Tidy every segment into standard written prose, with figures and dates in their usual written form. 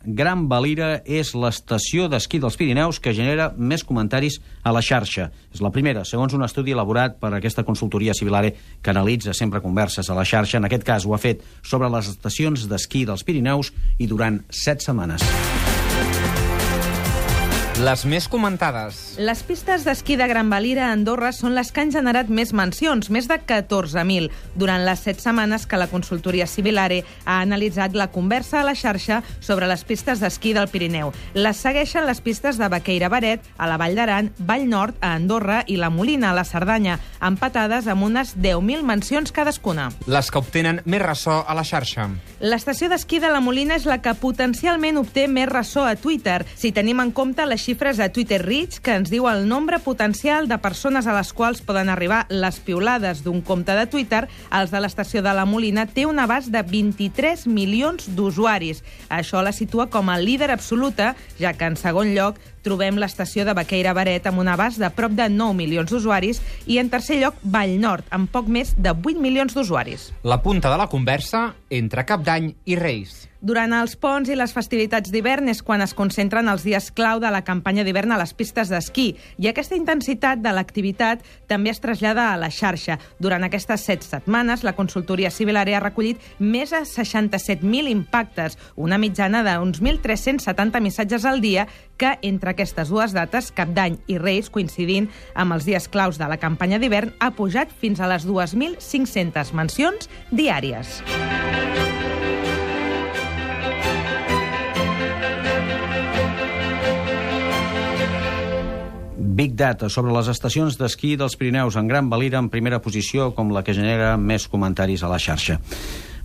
Gran Valira és l'estació d'esquí dels Pirineus que genera més comentaris a la xarxa. És la primera, segons un estudi elaborat per aquesta consultoria Civilare que analitza sempre converses a la xarxa. En aquest cas ho ha fet sobre les estacions d'esquí dels Pirineus i durant 7 setmanes. Les més comentades. Les pistes d'esquí de Gran Valira a Andorra són les que han generat més mencions, més de 14.000, durant les 7 setmanes que la consultoria Civilare ha analitzat la conversa a la xarxa sobre les pistes d'esquí del Pirineu. Les segueixen les pistes de Baqueira-Baret, a la Vall d'Aran, Vall Nord, a Andorra i la Molina, a la Cerdanya, empatades amb unes 10.000 mencions cadascuna. Les que obtenen més ressò a la xarxa. L'estació d'esquí de la Molina és la que potencialment obté més ressò a Twitter, si tenim en compte les xifres de Twitter Reach, que ens diu el nombre potencial de persones a les quals poden arribar les piulades d'un compte de Twitter. Els de l'estació de la Molina té un abast de 23 milions d'usuaris. Això la situa com a líder absoluta, ja que en segon lloc trobem l'estació de Baqueira-Baret amb un abast de prop de 9 milions d'usuaris i en tercer lloc Vall Nord, amb poc més de 8 milions d'usuaris. La punta de la conversa entre Cap d'Any i Reis. Durant els ponts i les festivitats d'hivern és quan es concentren els dies clau de la campanya d'hivern a les pistes d'esquí, i aquesta intensitat de l'activitat també es trasllada a la xarxa. Durant aquestes 7 setmanes, la consultoria Civilare ha recollit més de 67.000 impactes, una mitjana d'uns 1.370 missatges al dia, que entre aquestes dues dates, Cap d'Any i Reis, coincidint amb els dies claus de la campanya d'hivern, ha pujat fins a les 2.500 mencions diàries. Big Data sobre les estacions d'esquí dels Pirineus en Gran Valira en primera posició com la que genera més comentaris a la xarxa.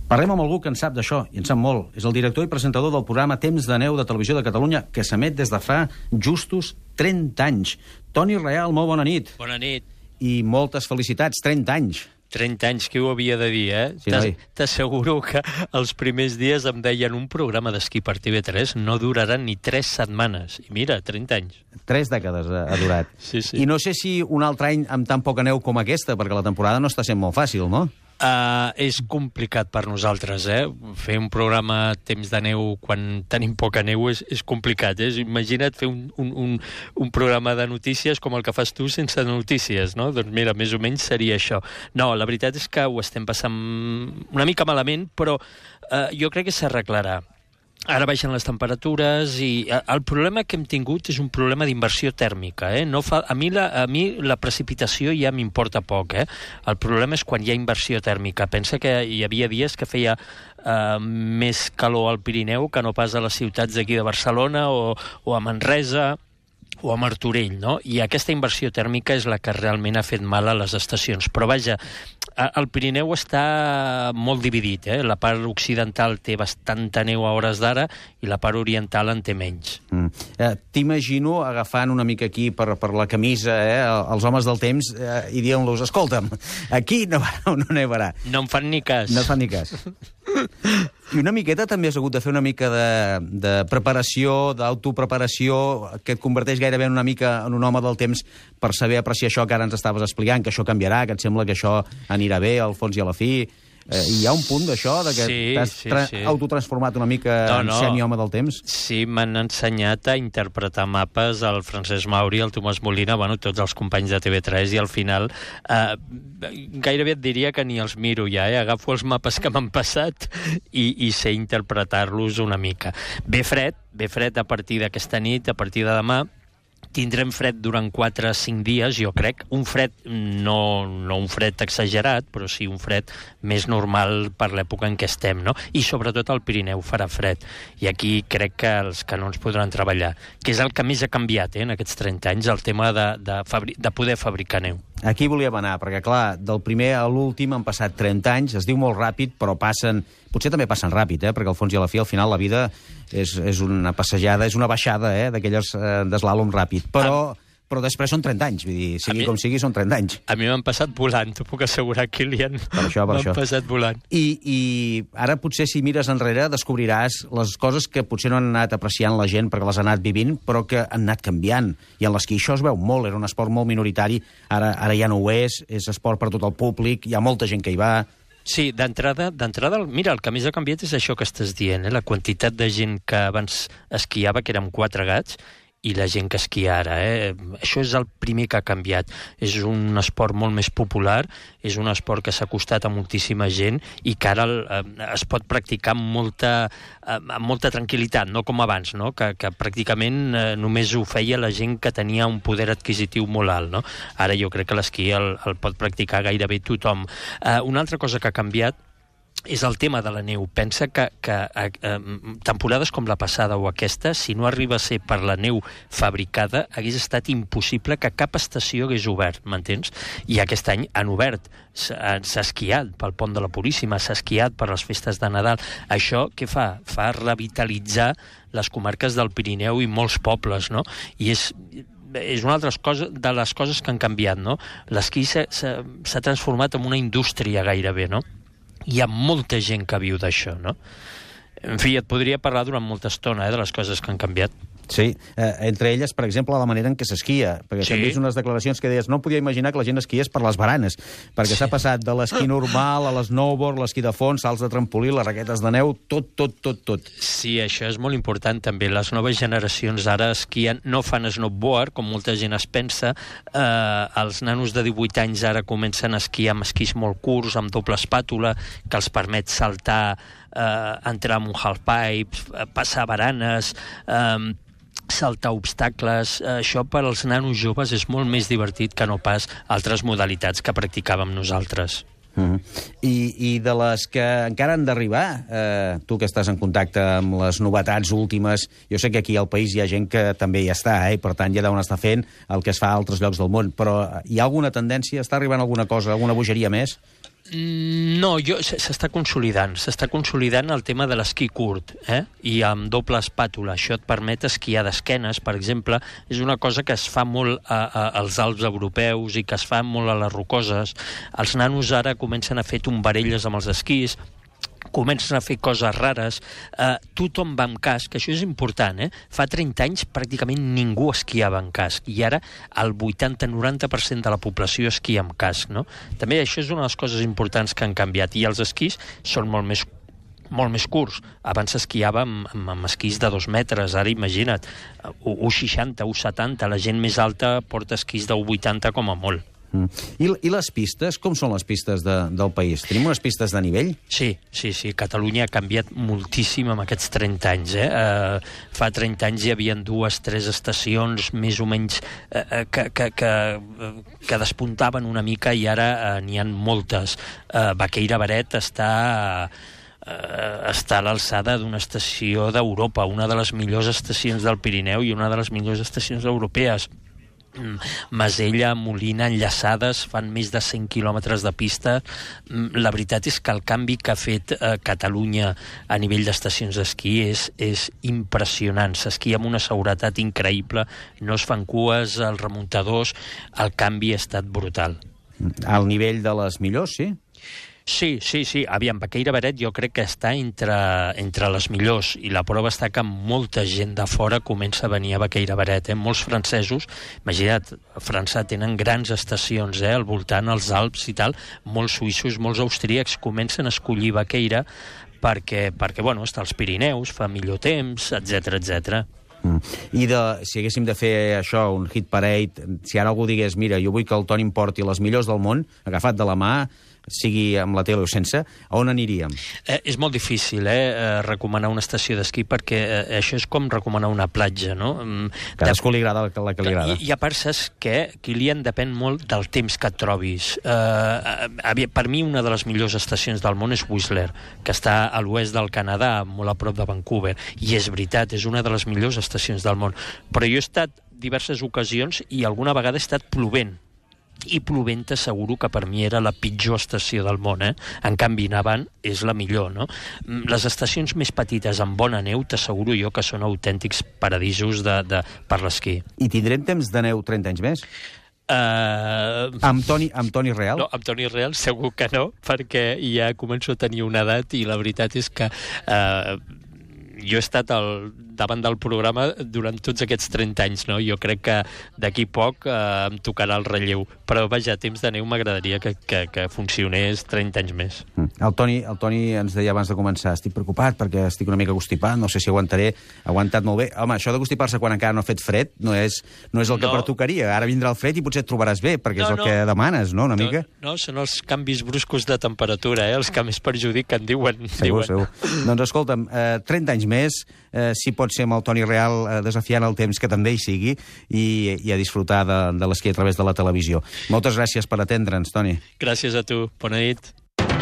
Parlem amb algú que en sap d'això, i en sap molt. És el director i presentador del programa Temps de Neu de Televisió de Catalunya, que s'emet des de fa justos 30 anys. Toni Real, molt bona nit. Bona nit. I moltes felicitats, 30 anys. 30 anys, qui ho havia de dir, eh? Sí, T'asseguro que els primers dies em deien un programa d'esquí per TV3 no durarà ni 3 setmanes. I mira, 30 anys. 3 dècades ha durat. Sí, sí. I no sé si un altre any amb tan poca neu com aquesta, perquè la temporada no està sent molt fàcil, no? És complicat per nosaltres, eh? Fer un programa Temps de Neu quan tenim poca neu és complicat, eh? Imagina't fer un programa de notícies com el que fas tu sense notícies, no? Doncs mira, més o menys seria això. No, la veritat és que ho estem passant una mica malament, però jo crec que s'arreglarà. Ara baixen les temperatures i el problema que hem tingut és un problema d'inversió tèrmica. A mi la precipitació ja m'importa poc. El problema és quan hi ha inversió tèrmica. Pensa que hi havia dies que feia més calor al Pirineu que no pas a les ciutats d'aquí de Barcelona o a Manresa o a Martorell, no? I aquesta inversió tèrmica és la que realment ha fet mal a les estacions. Però vaja, el Pirineu està molt dividit, eh? La part occidental té bastanta neu a hores d'ara i la part oriental en té menys. T'imagino agafant una mica aquí per la camisa els homes del temps i dient-los, escolta'm, aquí no nevarà. No em fan ni cas. No et fan ni cas. I una miqueta també has hagut de fer una mica de preparació, d'autopreparació, que et converteix gairebé una mica en un home del temps per saber apreciar això que ara ens estaves explicant, que això canviarà, que et sembla que això anirà bé al fons i a la fi. Hi ha un punt d'això, que t'has autotransformat una mica en semi-home del temps? Sí, m'han ensenyat a interpretar mapes el Francesc Mauri, el Tomàs Molina, tots els companys de TV3, i al final gairebé et diria que ni els miro ja, agafo els mapes que m'han passat i sé interpretar-los una mica. Ve fred a partir d'aquesta nit, a partir de demà. Tindrem fred durant 4 o 5 dies, jo crec. Un fred, no un fred exagerat, però sí un fred més normal per l'època en què estem, no? I sobretot al Pirineu farà fred. I aquí crec que els canons podran treballar, que és el que més ha canviat en aquests 30 anys, el tema de poder fabricar neu. Aquí volíem anar, perquè, clar, del primer a l'últim han passat 30 anys, es diu molt ràpid, però potser també passen ràpid, perquè al fons i a la fi, al final, la vida és una passejada, és una baixada, d'aquelles d'eslàlom ràpid. Però després són 30 anys, vull dir, sigui com sigui, són 30 anys. A mi m'han passat volant, t'ho puc assegurar, Kilian. Per això. M'han passat volant. I ara potser si mires enrere descobriràs les coses que potser no han anat apreciant la gent perquè les ha anat vivint, però que han anat canviant. I en l'esquí això es veu molt, era un esport molt minoritari, ara ja no ho és esport per tot el públic, hi ha molta gent que hi va. Sí, d'entrada, mira, el que més ha canviat és això que estàs dient, la quantitat de gent que abans esquiava, que érem 4 gats, i la gent que esquia ara. Això és el primer que ha canviat. És un esport molt més popular, és un esport que s'ha acostat a moltíssima gent i que ara es pot practicar amb molta tranquil·litat, no com abans, no? Que pràcticament només ho feia la gent que tenia un poder adquisitiu molt alt. No? Ara jo crec que l'esquí el pot practicar gairebé tothom. Una altra cosa que ha canviat és el tema de la neu. Pensa que temporades com la passada o aquesta, si no arriba a ser per la neu fabricada, hagués estat impossible que cap estació hagués obert, m'entens? I aquest any han obert. S'ha esquiat pel Pont de la Puríssima, s'ha esquiat per les festes de Nadal. Això què fa? Fa revitalitzar les comarques del Pirineu i molts pobles, no? I és una altra cosa de les coses que han canviat, no? L'esquí s'ha transformat en una indústria gairebé, no? Hi ha molta gent que viu d'això, no? En fi, et podria parlar durant molta estona de les coses que han canviat. Sí, entre elles, per exemple, la manera en què s'esquia, perquè també és unes declaracions que deies, no podia imaginar que la gent esquiés per les baranes, perquè s'ha passat de l'esquí normal a l'snowboard, l'esquí de fons, salts de trampolí, les raquetes de neu, tot. Sí, això és molt important també. Les noves generacions ara esquien, no fan snowboard, com molta gent es pensa. Els nanos de 18 anys ara comencen a esquiar amb esquís molt curts, amb doble espàtula, que els permet saltar, entrar en un halfpipe, passar baranes, saltar obstacles. Això per als nanos joves és molt més divertit que no pas altres modalitats que practicàvem nosaltres. I de les que encara han d'arribar, tu que estàs en contacte amb les novetats últimes, jo sé que aquí al país hi ha gent que també hi està, i per tant ja deuen estar fent el que es fa a altres llocs del món, però hi ha alguna tendència? Està arribant alguna cosa, alguna bogeria més? No, s'està consolidant el tema de l'esquí curt, i amb doble espàtula. Això et permet esquiar d'esquenes, per exemple. És una cosa que es fa molt als Alps europeus i que es fa molt a les rocoses. Els nanos ara comencen a fer tombarelles amb els esquís, comencen a fer coses rares, tothom va amb casc, això és important, Fa 30 anys pràcticament ningú esquiava amb casc, i ara el 80-90% de la població esquia amb casc, no? També això és una de les coses importants que han canviat, i els esquís són molt més curts. Abans s'esquiava amb esquís de 2 metres, ara imagina't, 1,60, 1,70, la gent més alta porta esquís de 1,80 com a molt. I les pistes? Com són les pistes del país? Tenim unes pistes de nivell? Sí. Catalunya ha canviat moltíssim en aquests 30 anys. Fa 30 anys hi havia 2-3 estacions més o menys que despuntaven una mica, i ara n'hi ha moltes. Baqueira-Beret està a l'alçada d'una estació d'Europa, una de les millors estacions del Pirineu i una de les millors estacions europees. Masella, Molina, enllaçades, fan més de 100 quilòmetres de pista. La veritat és que el canvi que ha fet Catalunya a nivell d'estacions d'esquí és impressionant. S'esquia amb una seguretat increïble, no es fan cues, els remuntadors, el canvi ha estat brutal. Al nivell de les millors, sí? Sí. Aviam, Baqueira-Beret jo crec que està entre les millors, i la prova està que molta gent de fora comença a venir a Baqueira-Beret. Molts francesos, imagina't, a França tenen grans estacions al voltant, als Alps i tal, molts suïssos, molts austríacs comencen a escollir Baqueira perquè bueno, està als Pirineus, fa millor temps, etc. I si haguéssim de fer això, un hit parade, si ara algú digués, mira, jo vull que el Toni em porti les millors del món, agafat de la mà, sigui amb la tele o sense, a on aniríem? És molt difícil recomanar una estació d'esquí, perquè això és com recomanar una platja, no? Cadascú li agrada la que li agrada. I a part, saps què? Kilian, depèn molt del temps que et trobis. Per mi, una de les millors estacions del món és Whistler, que està a l'oest del Canadà, molt a prop de Vancouver, i és veritat, és una de les millors estacions del món. Però jo he estat diverses ocasions i alguna vegada he estat plovent. I plovent t'asseguro que per mi era la pitjor estació del món, En canvi, nevant és la millor, no? Les estacions més petites amb bona neu t'asseguro jo que són autèntics paradisos per l'esquí. I tindrem temps de neu 30 anys més? Amb Toni Real? No, amb Toni Real segur que no, perquè ja començo a tenir una edat i la veritat és que jo he estat davant del programa durant tots aquests 30 anys, no? Jo crec que d'aquí poc em tocarà el relleu. Però, vaja, Temps de Neu m'agradaria que funcionés 30 anys més. El Toni ens deia abans de començar, estic preocupat perquè estic una mica constipat, no sé si aguantaré. Ha aguantat molt bé. Home, això de constipar-se quan encara no ha fet fred no és el que pertocaria. Ara vindrà el fred i potser et trobaràs bé, perquè és el que demanes, no?, una mica? No, són els canvis bruscos de temperatura, els que més perjudiquen, diuen. Segur. Doncs escolta'm, 30 anys més, si pot ser amb el Toni Real desafiant el temps que també hi sigui i a disfrutar de l'esquí a través de la televisió. Moltes gràcies per atendre'ns, Toni. Gràcies a tu. Bona nit.